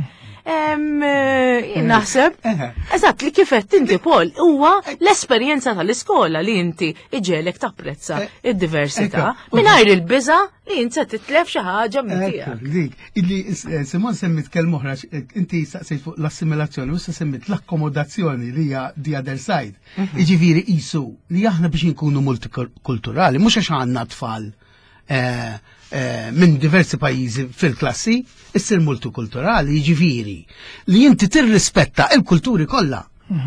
Em, eh, Jien naħseb Eħe. Eżatt li kif qed inti Paul huwa l-esperjenza tal-iskola li inti iġegħlek tapprezza id-diversità Ekku. mingħajr il-biża li inti se titlef xi ħaġa minn tiegħek. Ekku, dik, illi eh, Simon semmit kelma oħra, eh, inti saqsejt fuq l-assimilazzjoni, u issa semmit l-akkomodazzjoni li hija the other side. Jiġifieri qisu li aħna biex nkunu multikulturali, mhux għax għandna tfal eh, eh, minn diversi pajjiżi fil-klassi, issir multikulturali, jiġifieri li inti tirrispetta il-kulturi kollha.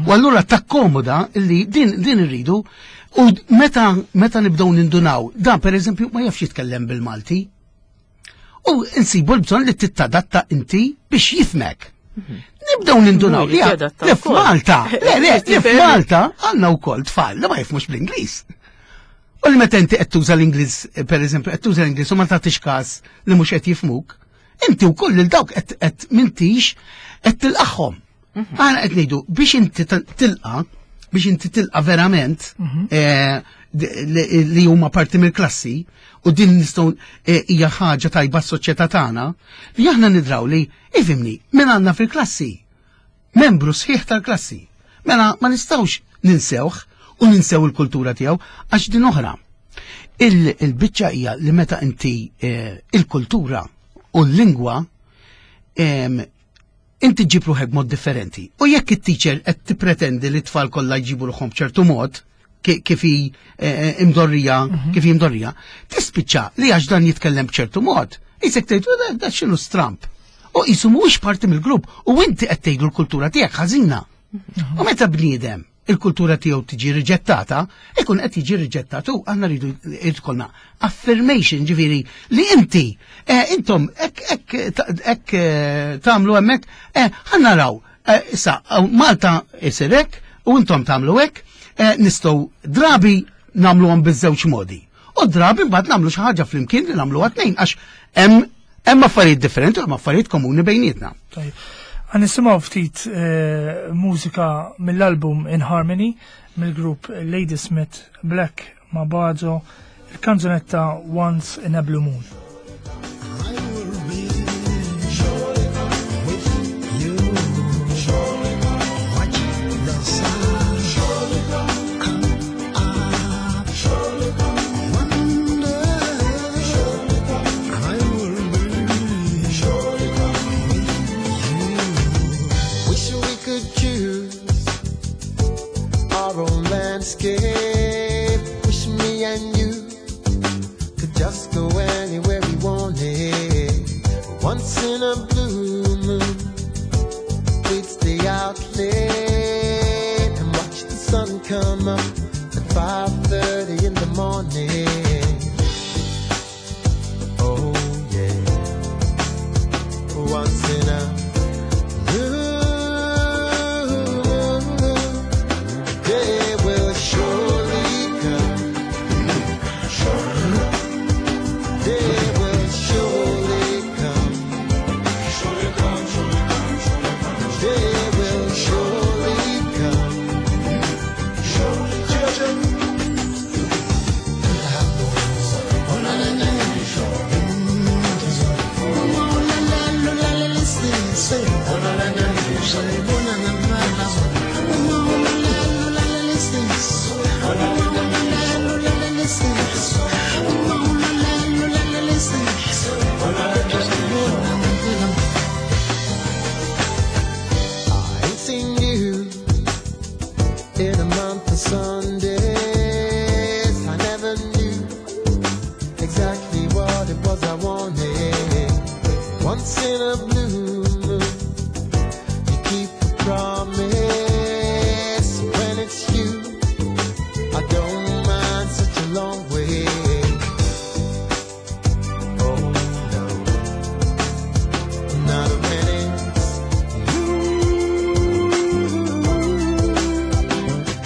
U allura takkomoda li din din irridu u meta meta nibdew nindunaw, dan per eżempju ma jafx jitkellem bil-Malti. U insibu l-bżonn li tittadatta inti biex jifhmek. Nibdew nindunaw li Jrid jadatta li wkoll. f'Malta, le le, li Jifhem. f'Malta għandna wkoll tfal li ma jifhmux bl-Ingliż. U li meta inti qed tuża l-Ingliż, per eżempju, qed tuża l-Ingliż u ma tagħtix każ li mhux qed jifhmuk, inti wkoll lil dawk qed qed m'intix qed tilqagħhom. Aħna qed ngħidu biex inti tilqa' biex inti tilqa' verament eh, li li huma parti mill-klassi u din nistgħu eh, hija ħaġa tajba s-soċjetà tagħna li aħna nidraw li ifhimni min għandna fil-klassi membru sħiħ tal-klassi. Mela ma nistgħux ninsewh u ninsew il-kultura tiegħu għax din oħra. Il- Il-biċċa hija li meta inti eh, il-kultura u l-lingwa em, inti ġib ruħek mod differenti. U jekk it-teacher qed tippretendi li t-tfal kollha jġibu ruħhom b'ċertu mod, ki- kif hi eh, imdorrija, kif hi imdorrija, tispiċċa li għax dan jitkellem b'ċertu mod. Isek tgħid, "U da- da x'inhu stramp." U qisu mhuwiex parti mill-grupp u inti qed tgħidu l-kultura tiegħek ħażina. U meta bniedem il-kultura tiegħu tiġi riġettata, ikun qed jiġi riġettat u aħna rridu jkollna affirmation ġifieri li inti eh, intom hekk hekk hekk eh, tagħmlu hemmhekk eh, ħa naraw Eh, issa, Malta isir hekk u intom tagħmlu hekk, eh, nistgħu drabi nagħmluhom biż-żewġ modi. U drabi mbagħad nagħmlu xi ħaġa flimkien li nagħmluha tnejn għax hemm hemm affarijiet differenti u hemm affarijiet komuni bejnietna. Tajjeb. Ħa nisimgħu ftit eh, mużika mill-album In Harmony mill-grupp Ladysmith Black Mambazo, il-kanzunetta Once in a Blue Moon. I will be with you. Watch the sun come up. One day I will be with you. Wish we could choose our own landscape. Wish me and you could just go anywhere we wanted. Once in a blue moon, we'd stay out late and watch the sun come up at five thirty in the morning. Oh yeah. Once in a blue moon, day will surely come. Day will surely come. Day will surely come. I ain't seen you in a month of Sundays. I never knew exactly what it was I wanted. Once in a blue moon, you keep a promise. When it's you, I don't mind such a long way. Oh no, not when it's you.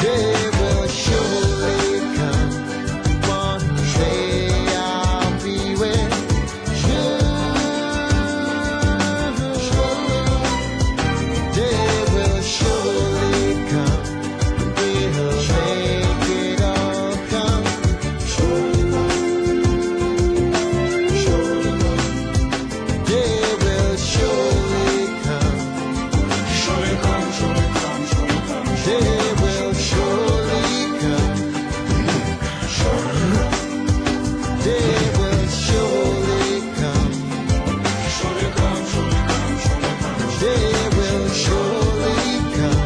Day will surely come. One day I'll be with you. Day will surely come. We'll make it all come true. Day will surely come. Day will surely come. Day will surely come. Day will surely come.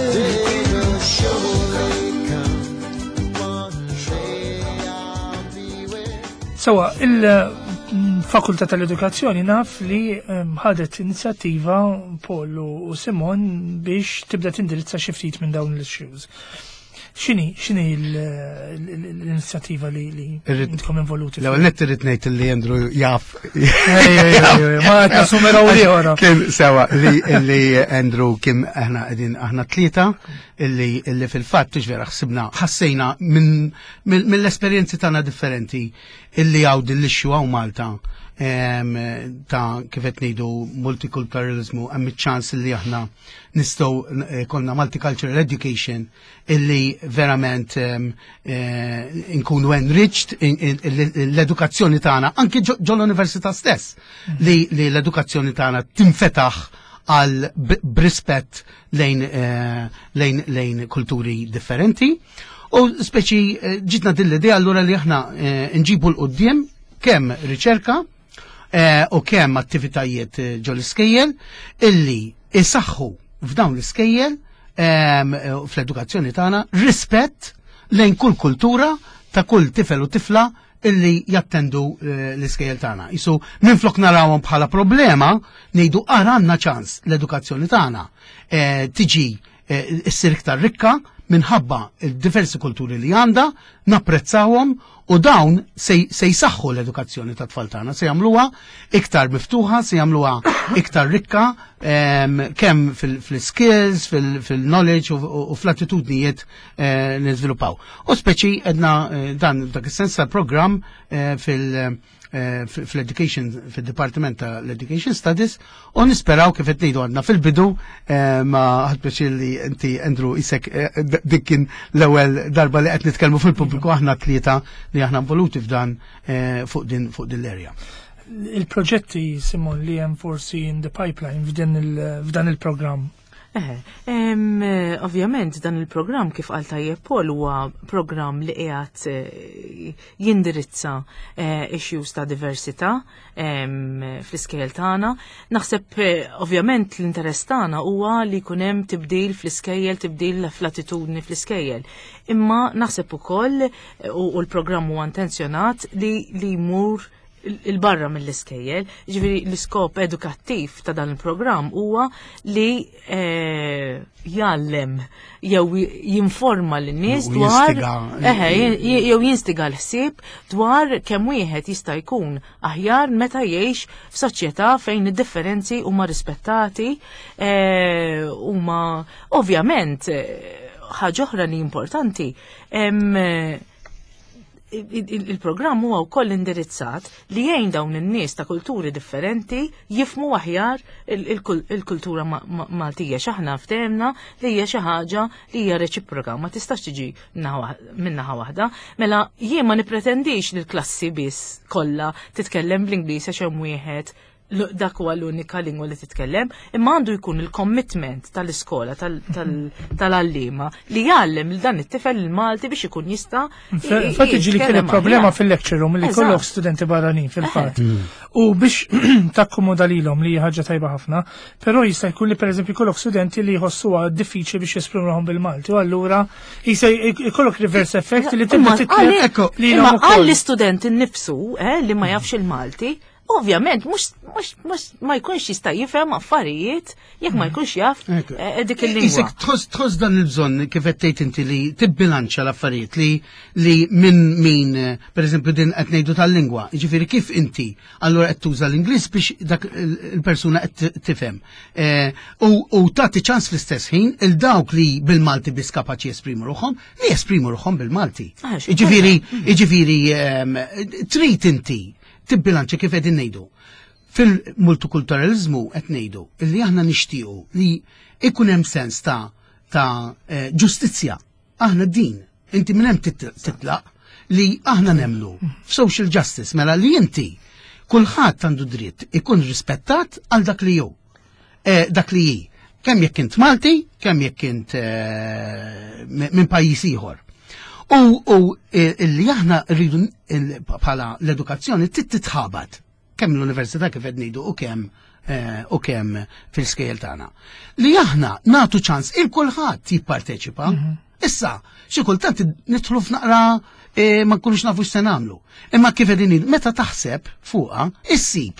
Day will surely come. One day I'll be with Sewwa, il-Fakultà tal-Edukazzjoni naf li em, ħadet inizjattiva Paul u Simon biex tibda tindirizza xi ftit minn dawn l-issues. X'inhi, x'inhi l- l- l-inizjattiva li li Irrid- intkom involuti? L-ewwel nett irrid ngħid li Andrew jaf. Ej, ej, ej, ej, ma qed nassumeraw ieħor. Kien sewwa li li Andrew kien aħna qegħdin aħna tlieta illi illi fil-fatt tix vera ħsibna ħassejna minn mill- mill-esperjenzi tagħna differenti illi hawn din l-issue hawn Malta em, ta' kif qed ngħidu multiculturalismu hemm iċ-ċans illi aħna nistgħu eh, konna multicultural education illi verament em, eh, nkunu enriched in- in- l-edukazzjoni tagħna anke ġo ġo l-università stess li li l-edukazzjoni tagħna tinfetaħ għal b'rispett lejn eh, lejn lejn kulturi differenti. U speċi eh, ġitna din l-idea allura li aħna eh, nġibu 'l quddiem kemm riċerka u kemm attivitajiet ġol iskejjel illi isaħħu f'dawn l-iskejjel fl-edukazzjoni tagħna rispett lejn kull kultura ta' kull tifel u tifla illi jattendu eh, l-iskejjel tagħna. Isu minflok narawhom bħala problema, ngħidu ara għandna ċans l-edukazzjoni tagħna eh, tiġi eh, issir iktar rikka minħabba il-diversi kulturi li għandha, napprezzawhom u dawn se jsaħħu l-edukazzjoni ta' tfal tagħna, se jagħmluha iktar miftuħa, se jagħmluha iktar rikka kemm fil-skills, fil-knowledge u fl-attitudnijiet eh, li żviluppaw. U speċi edna eh, dan dak is-sens tal-programm eh, fil- fl-education, fil-Departiment tal-Education Studies, u nisperaw kif qed ngħidu għadna fil-bidu ma ħadt pjaċir li inti Andrew isek dik kien l-ewwel darba li qed nitkellmu fil-pubbliku aħna tlieta li aħna involuti f'dan fuq din fuq din l-area. Il-proġetti, Simon, li hemm forsi in the pipeline f'dan il-programm? Eh, ovvjament dan il-programm, kif qal tajjeb Paul, huwa programm li qiegħed eh, jindirizza eh, issues ta' diversità fl-iskejjel tagħna. Naħseb ovvjament l-interess tagħna huwa li jkun hemm tibdil fl-iskejjel, tibdil fl-attitudni fl-iskejjel. Imma naħseb ukoll u l-programm huwa intenzjonat li li jmur 'il barra mill-iskejjel, ġifieri l-iskop edukattiv ta' dan il-programm huwa li eh, jgħallem jew jinforma lin-nies dwar eħe, jew jinstiga l-ħsieb dwar kemm wieħed jista' jkun aħjar meta jgħix f'soċjetà fejn id-differenzi huma rispettati, eh, huma ovvjament eh, ħaġa oħra li importanti, il-programm huwa wkoll indirizzat li jgħin dawn in-nies ta' kulturi differenti jifhmu aħjar il-kultura Maltija. X'aħna ftehemna li hija xi ħaġa li hija reċiproka, ma tistax tiġi minnaħa waħda. Mela jien ma nipretendix li l-klassi biss kollha titkellem bl-Ingliż għax hemm wieħed dak huwa l-unika lingwa li titkellem, imma għandu jkun il-commitment tal-iskola, tal-għallima li jgħallem lil dan it-tifel il-Malti biex ikun jista' Infatti ġieli kien problema fil-lecture room li kollok studenti barranin fil-fatt. U biex takkomoda lilhom li ħaġa tajba ħafna, però jista' jkun li pereżempju kollok studenti li jħossuha diffiċli biex jesprimuhom bil-Malti u allura jista' jkollok reverse effect li tibda titlef. Imma għall-istudent innifsu eh, li ma jafx il-Malti, ovvjament, mux, mux, mux ma jkunx jista' jifhem affarijiet jekk ma jkunx jaf eh, dik il-lingwa. Isek tħoss dan il-bżonn kif qed tgħid inti li tibbilanċa l-affarijiet li li minn min, per eżempju, din qed ngħidu tal-lingwa, jiġifieri kif inti allura qed tuża l-Ingliż biex dak il-persuna qed tifhem. Eh, u tagħti ċans fl-istess ħin il dawk li bil-Malti biss kapaċi jesprimu ruħhom li jesprimu ruħhom bil-Malti. Ah, Jiġifieri, jiġifieri ehm, trid inti tibbilanċa kif qegħdin ngħidu. Fil-multikulturalizmu qed ngħidu illi aħna nixtiequ li ikun hemm sens ta' ta' eh, ġustizzja. Aħna din, inti minn hemm titlaq li aħna nemmnu f'social justice, mela li inti kulħadd għandu dritt ikun rispettat għal dak li hu. Eh, dak li hi. Kemm jekk int Malti, kemm jekk int eh, minn pajjiż ieħor. U, u illi aħna rridu bħala l-edukazzjoni titħabat kemm l-università kif qed ngħidu u kemm eh, u kemm fil-skejjel tagħna. Li aħna nagħtu ċans il kulħadd jipparteċipa. Mhm. Issa, xi kultant nidħlu f'naqra eh, ma nkunux nafu x'se nagħmlu. Imma kif qegħdin meta taħseb fuqha, issib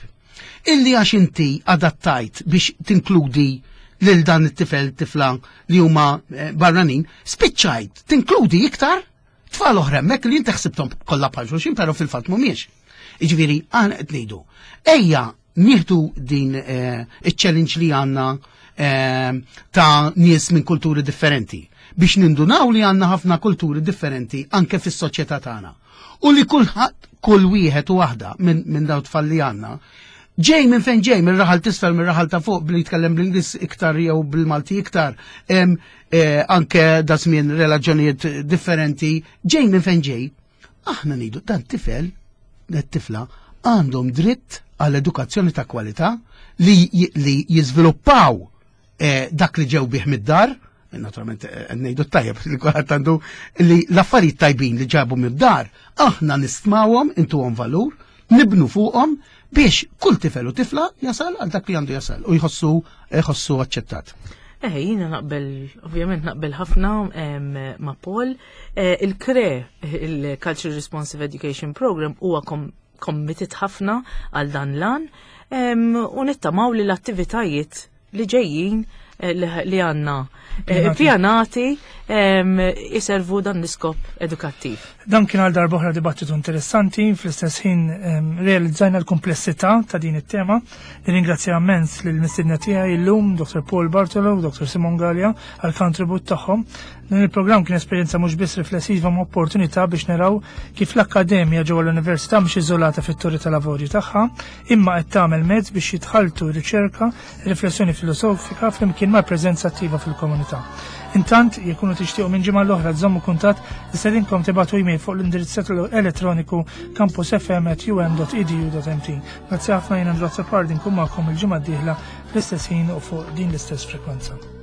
illi għax inti adattajt biex tinkludi lil dan it-tifel tifla li huma eh, barranin, spiċċajt tinkludi iktar tfal oħra hemmhekk li inti ħsibthom kollha bħal xulxin, però fil-fatt mhumiex. Jiġifieri aħna qed ngħidu, ejja nieħdu din eh, iċ-challenge li għandna eh, ta' nies minn kulturi differenti biex nindunaw li għandna ħafna kulturi differenti anke fis-soċjetà tagħna. U li kulħadd, kull wieħed u waħda minn min daw tfal li għandna ġej minn fejn ġej, minn raħal t'isfel, minn raħal ta' fuq, billi jitkellem bl-Ingliż iktar jew bil-Malti iktar, em, eh, anke da żmien relaġjonijiet differenti, ġej minn fejn ġej. Aħna ngħidu dan tifel, dan tifla għandhom dritt għall edukazzjoni ta' kwalità li, li jiżviluppaw eh, dak li ġew bih mid-dar, naturalment eh, ngħidu tajjeb li kulħadd għandu li l-affarijiet tajbin li ġabu mid-dar, aħna nistmawhom, intuhom valur, nibnu fuqhom biex kull tifel u tifla jasal għal dak li għandu jasal u jħossu jħossu aċċettat. Eh, jiena naqbel, ovvjament naqbel ħafna ma' Paul. Eh, Il-CRE, il-Culture Responsive Education Program, huwa committed ħafna għal dan l-għan u nittamaw li l-attivitajiet li ġejjin eh, li għandna eh, pjanati jiservu dan l-iskop edukattiv. Dan kien għal darb'oħra dibattitu interessanti, fl-istess ħin realizzajna l-komplessità ta' din it-tema. Nirringrazzja immens lill-mistedna tiegħi illum, Dottor Paul Bartolo u Dottor Simon Galea, għal kontribut tagħhom. Dan il-programm kien esperjenza mhux biss riflessiva ma' opportunità biex naraw kif l-akkademja ġewwa l-università mhux iżolata fit-torri tal-avorju tagħha, imma qed tagħmel mezz biex jitħaltu riċerka, riflessjoni filosofika flimkien ma' preżenza attiva fil-komunità. Intant, jekk tixtiequ minn ġimgħa l-oħra tżommu kuntatt, nistedinkom tibagħtu email fuq l-indirizz elettroniku campusfm at u m dot e d u dot m t. Grazzi ħafna, jien Andrea Azzopardi, nkun magħkom il-ġimgħa d-dieħla fl-istess ħin u fuq din l-istess frekwenza.